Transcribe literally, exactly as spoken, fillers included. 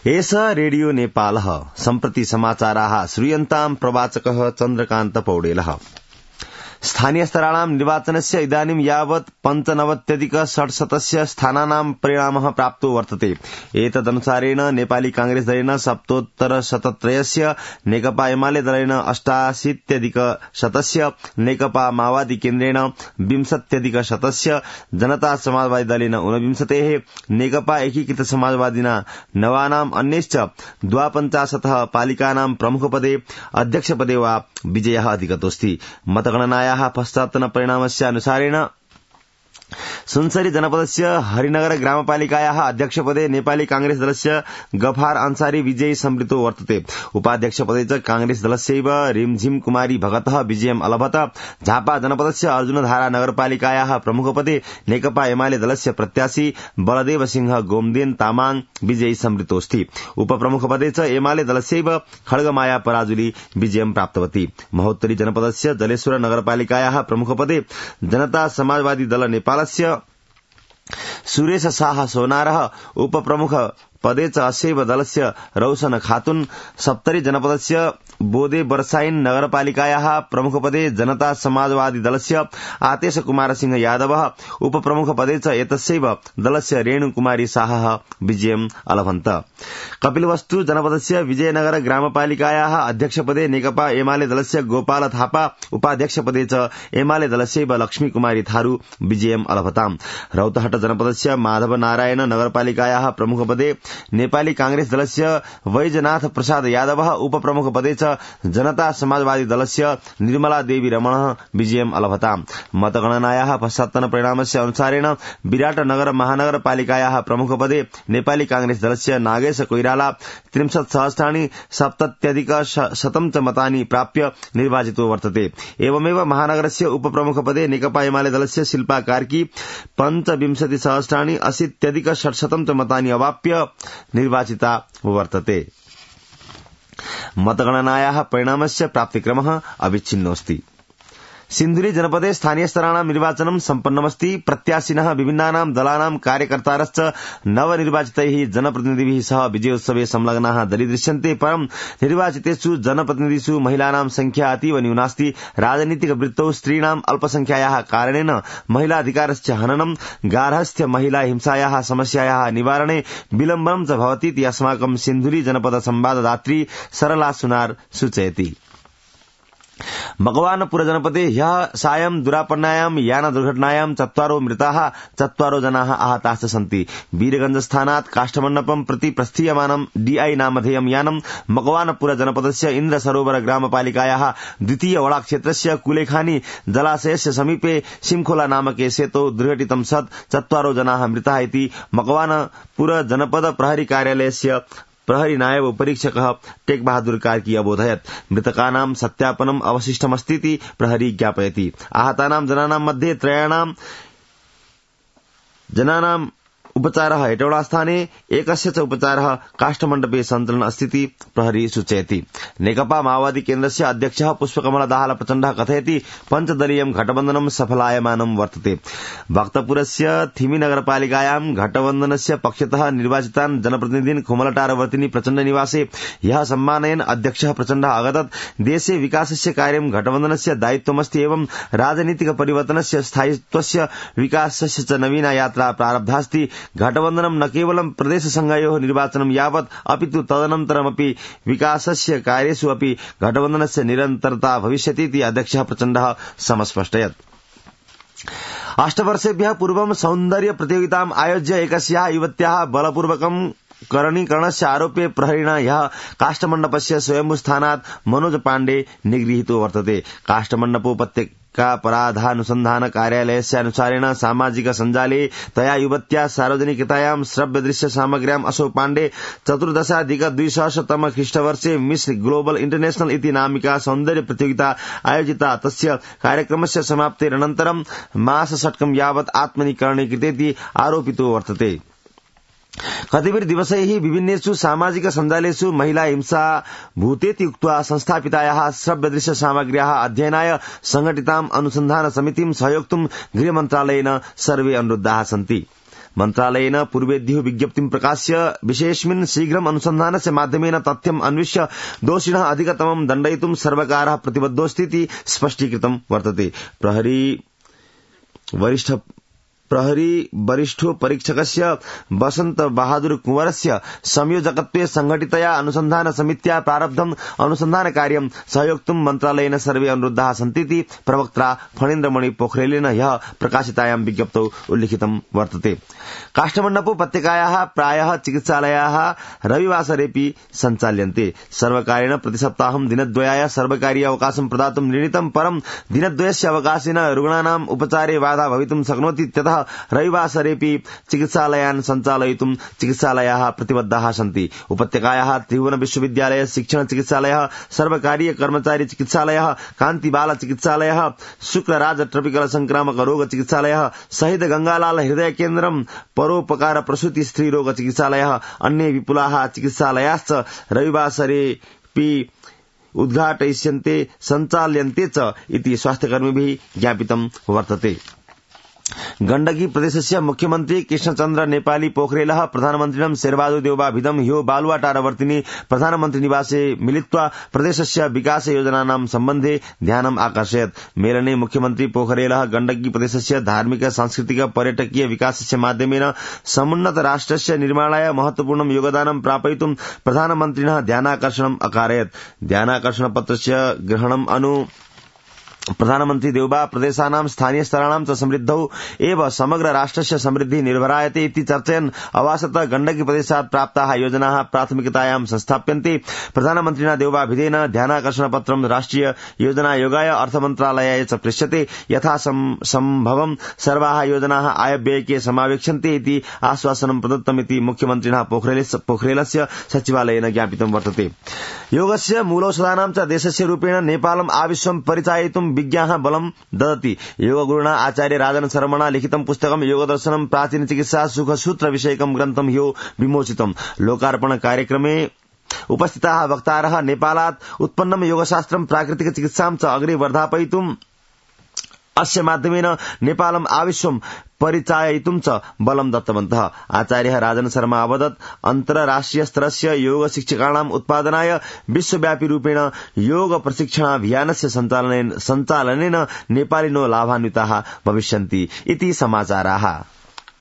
एष रेडियो नेपालः सम्प्रति समाचाराः श्रूयन्ताम् प्रवाचकः चन्द्रकान्त पौडेलः। स्थानीय स्तराणां निर्वाचनस्य इदानीं यावत् पञ्चनवत्यधिक षट्शतस्य स्थानानां परिणामः प्राप्तो वर्तते। एतदनुसारेण नेपाली कांग्रेस दलेन सप्तोत्तर शतत्रयस्य, नेकपा एमाले दलेन अष्टाशीत्यधिक शतस्य, नेकपा माओवादी केन्द्रेण विंशत्यधिक शतस्य, जनता समाजवादी दलेन ऊनविंशतेः, नेकपा एकीकृत समाजवादिना नवानाम् अन्यश्च द्वापञ्चाशतः पालिकानां प्रमुखपदे अध्यक्षपदे वा विजयः अधिगतोऽस्ति। मतगणनाया पश्चात्तन परिणामस्यानुसारेण सुनसरी जनपदस्य हरिनगर ग्रामपालिकायाः अध्यक्षपदे नेपाली कांग्रेस दलस्य गफार अंसारी विजयी संवृतो वर्तते। उपाध्यक्षपदे च कांग्रेस दलस्यैव रिमझिम कुमारी भगतः विजयम् अलभत। झापा जनपदस्य अर्जुनधारा नगरपालिकायाः प्रमुखपदे नेकपा एमाले दलस्य प्रत्याशी बलदेव सिंह गोमदेन तामाङ विजयी संवृतोऽस्ति। उपप्रमुखपदे च एमाले दलस्यैव खड्गमाया पराजुली विजयं प्राप्तवती। महोत्तरी जनपदस्य जलेश्वर नगरपालिकायाः प्रमुखपदे जनता समाजवादी दल नेपाल सुरेश शाह सोनारः, उपप्रमुख पदे च अस्यैव दलस्य रौशन खातुन। सप्तरी जनपदस्य बोदे बरसाइन नगरपालिकायाः प्रमुखपदे जनता समाजवादी दलस्य आतेश कुमार सिंह यादवः, उपप्रमुखपदे च एतस्यैव दलस्य रेणु कुमारी शाहः विजयम् अलभन्त। कपिलवस्तु जनपदस्य विजयनगर ग्रामपालिकायाः अध्यक्षपदे नेकपा एमाले दलस्य गोपाल थापा, उपाध्यक्षपदे च एमाले दलस्यैव लक्ष्मी कुमारी थारू विजयम् अलभताम्। रौतहट जनपदस्य माधव नारायण नगरपालिकायाः प्रमुखपदे नेपाली कांग्रेस दलस्य वैजनाथ प्रसाद यादवः, उपप्रमुखपदे च जनता समाजवादी दलस्य निर्मला देवी रमणः विजयम् अलभताम्। मतगणनायाः पश्चात्तन परिणामस्य अनुसारेण विराटनगर महानगरपालिकायाः प्रमुखपदे नेपाली कांग्रेस दलस्य नागेश कोइराला त्रिंशत् सहस्राणि सप्तत्यधिक शतं च मतानि प्राप्य निर्वाचितो वर्तते। एवमेव महानगरस्य उपप्रमुखपदे नेकपा एमाले दलस्य शिल्पा कार्की पञ्चविंशति सहस्राणि अशीत्यधिक षट्शतं च मतानि अवाप्य निर्वाचिता वर्तते। मतगणनायाः परिणामस्य प्राप्तिक्रमः अविच्छिन्नोऽस्ति। सिन्धुली जनपदे स्थानीय स्तराणां निर्वाचनं सम्पन्नमस्ति। प्रत्याशिनः विभिन्नानां दलानां कार्यकर्तारश्च नवनिर्वाचितैः जनप्रतिनिधिभिः सह विजयोत्सवे संलग्नाः दरीदृश्यन्ते। परं निर्वाचितेषु जनप्रतिनिधिषु महिलानां संख्या अतीव न्यूनास्ति। राजनीतिक वृत्तौ स्त्रीणाम् अल्पसंख्यायाः कारणेन महिलाधिकारस्य हननं, गार्हस्थ्य महिला हिंसायाः समस्यायाः निवारणे विलम्बनं च भवतीति अस्माकं सिन्धुली जनपद संवाददात्री सरला सुनार सूचयति। मकवानपुर जनपदे ह्यः सायं दुरापन्नायां यान दुर्घटनायां चत्वारो मृताः, चत्वारो जनाः आहताश्च सन्ति। वीरगंज स्थानात् काष्ठमण्डपं प्रति प्रस्थीयमानं डीआई नामधेयं यानं मकवानपुर जनपदस्य इन्द्र सरोवर ग्रामपालिकायाः द्वितीय वडा क्षेत्रस्य कुलेखानी जलाशयस्य समीपे सिमखोला नामके सेतौ दुर्घटितं सत् चत्वारो जनाः मृताः इति मकवानपुर जनपद प्रहरी कार्यालयस्य प्रहरी नायब परीक्षकः टेक बहादुर कार्की अबोधयत्। मृतकानां सत्यापनम् अवशिष्टमस्तीति प्रहरी ज्ञापयति। आहतानां जनानां मध्ये त्रयाणां जनानां उपचारः हेटौडास्थाने, एकस्य च उपचारः काष्ठमण्डपे सञ्चलन् अस्तीति प्रहरी सूचयति। नेकपा माओवादी केन्द्रस्य अध्यक्षः पुष्पकमल दाहाल प्रचण्डः कथयति पञ्चदलीयं घटबन्धनं सफलायमानं वर्तते। भक्तपुरस्य थिमी नगरपालिकायां घटबन्धनस्य पक्षतः निर्वाचितान् जनप्रतिनिधीन् खुमलटारवर्तिनी प्रचण्ड निवासे ह्यः सम्मानयन् अध्यक्षः प्रचण्डः अगदत्। देशे विकासस्य कार्यं घटबन्धनस्य दायित्वमस्ति एवं राजनीतिक परिवर्तनस्य स्थायित्वस्य विकासस्य च नवीना यात्रा प्रारब्धास्ति। घटबन्धनं न केवलं प्रदेशसंघयोः निर्वाचनं यावत् अपितु तदनन्तरमपि विकासस्य कार्येषु अपि घटबन्धनस्य निरन्तरता भविष्यति इति अध्यक्षः प्रचण्डः समस्पष्टयत्। अष्टवर्षेभ्यः पूर्वं सौन्दर्य प्रतियोगिताम् आयोज्य एकस्याः युवत्याः बलपूर्वकं करणीकरणस्य आरोपे प्रहरिणा ह्यः काष्ठमण्डपस्य स्वयंभूस्थानात् मनोज पाण्डे निगृहीतो वर्तते। काष्ठमण्डपोपत्यका अपराधानुसन्धान कार्यालयस्य अनुसारेण सामाजिक सञ्जाले तया युवत्या सार्वजनिकतायां श्रव्यदृश्य सामग्र्याम् असौ पाण्डे चतुर्दशाधिक द्विसहस्रतम ख्रीष्टवर्षे मिस ग्लोबल इंटरनेशनल इति नामिका सौन्दर्य प्रतियोगिता आयोजिता। तस्य कार्यक्रमस्य समाप्तेरनन्तरं मासषट्कं यावत् आत्मनिकरणे कृतेति आरोपितो वर्तते। कतिपय दिवसैः विभिन्नेषु सामाजिक सञ्जालेषु महिला हिंसा भूतेति उक्त्वा संस्थापितायाः श्रव्यदृश्य सामग्र्याः अध्ययनाय संघटिताम् अनुसन्धान समितिं सहयोक्तुं गृहमन्त्रालयेन सर्वे अनुरुद्धाः सन्ति। मन्त्रालयेन पूर्वेद्युः विज्ञप्तिं प्रकाश्य विषयेऽस्मिन् शीघ्रम् अनुसन्धानस्य माध्यमेन तथ्यम् अन्विष्य दोषिणः अधिकतमं दण्डयितुं सर्वकारः प्रतिबद्धोऽस्ति इति स्पष्टीकृतं वर्तते। प्रहरी वरिष्ठ प्रहरी वरिष्ठो परीक्षकस्य वसंत बहादुर कुंवरस्य संयोजकत्वे संघटितया अनुसंधान समित्या प्रारब्धम् अनुसंधान कार्यं सहयोक्तुं मन्त्रालयेन सर्वे अनुरुद्धाः सन्तीति प्रवक्त्रा फणीन्द्रमणि पोखरेलेन ह्यः प्रकाशितायां विज्ञप्तौ उल्लिखितं वर्तते। काष्ठमण्डप उपत्यकायाः प्रायः चिकित्सालयाः रविवासरेऽपि सञ्चाल्यन्ते। सर्वकारेण प्रतिसप्ताहं दिनद्वयाय सर्वकारीय अवकाशं प्रदातुं निर्णीतं, परं दिनद्वयस्य अवकाशेन रुग्णानाम् उपचारे बाधा भवितुं शक्नोति। इत्यतः रविवासरेऽपि चिकित्सालयान् सञ्चालयितुं चिकित्सालयाः प्रतिबद्धाः सन्ति। उपत्यकायाः त्रिभुवन विश्वविद्यालय शिक्षण चिकित्सालयः, सर्वकारीय कर्मचारी चिकित्सालयः, कान्तिबाल चिकित्सालयः, शुक्रराज ट्रपिकल संक्रामक रोग चिकित्सालयः, शहीद गंगालाल हृदय केन्द्रम्, परोपकार प्रसूति स्त्री रोग चिकित्सालयः, अन्ये विपुलाः चिकित्सालयाश्च रविवासरेऽपि उद्घाटयिष्यन्ते सञ्चाल्यन्ते च इति स्वास्थ्यकर्मिभिः ज्ञापितं वर्तते। गण्डकी प्रदेशस्य मुख्यमन्त्री कृष्णचन्द्र नेपाली पोखरेलः प्रधानमन्त्रिणं शेरबहादुर देउवाभिधं ह्यो बालुवाटारवर्तिनि प्रधानमन्त्री निवासे मिलित्वा प्रदेशस्य विकास योजनानां सम्बन्धे ध्यानम् आकर्षयत्। मेलने मुख्यमन्त्री पोखरेलः गण्डकी प्रदेशस्य धार्मिक सांस्कृतिक पर्यटकीय विकासस्य माध्यमेन समुन्नत राष्ट्रस्य निर्माणाय महत्वपूर्णं योगदानं प्रापयितुं प्रधानमन्त्रिणः ध्यानाकर्षणम् अकारयत्। ध्यानाकर्षणपत्रस्य ग्रहणम् अनु प्रधानमन्त्री देउबा प्रदेशानां स्थानीय स्तराणां च समृद्धौ एव समग्र राष्ट्रस्य समृद्धिः निर्भरायते इति चर्चयन् अवासत गण्डकी प्रदेशात् प्राप्ताः योजनाः प्राथमिकतायां संस्थाप्यन्ते। प्रधानमन्त्रिणा देउबाभिधेन ध्यानाकर्षणपत्रं राष्ट्रिय योजनायोगाय अर्थमन्त्रालयाय च प्रेष्यते। यथा सम्भवं सर्वाः योजनाः आयव्ययके समावेक्ष्यन्ते इति आश्वासनं प्रदत्तमिति मुख्यमन्त्रिणः पोखरेलस्य सचिवालयेन ज्ञापितं वर्तते। योगस्य मूलौषधानां च देशस्य रूपेण नेपालम् आविश्वं परिचाययितुं विज्ञाः बलं ददति। योगगुरुणा आचार्य राजन शर्मणा लिखितं पुस्तकं योगदर्शनं प्राचीन चिकित्सा सुखसूत्र विषयकं ग्रन्थं ह्यो विमोचितम्। लोकार्पण कार्यक्रमे उपस्थिताः वक्तारः नेपालात् उत्पन्नं योगशास्त्रं प्राकृतिक चिकित्सां च अग्रे वर्धापयितुं अस्य माध्यमेन नेपालम् आविश्वं परिचाययितुं च बलं दत्तवन्तः। आचार्यः राजन शर्मा अवदत्, अन्तर्राष्ट्रिय स्तरस्य योग शिक्षकाणाम् उत्पादनाय विश्वव्यापी रूपेण योग प्रशिक्षणाभियानस्य सञ्चालनेन सञ्चालनेन नेपालिनो लाभान्विताः भविष्यन्ति इति समाचाराः।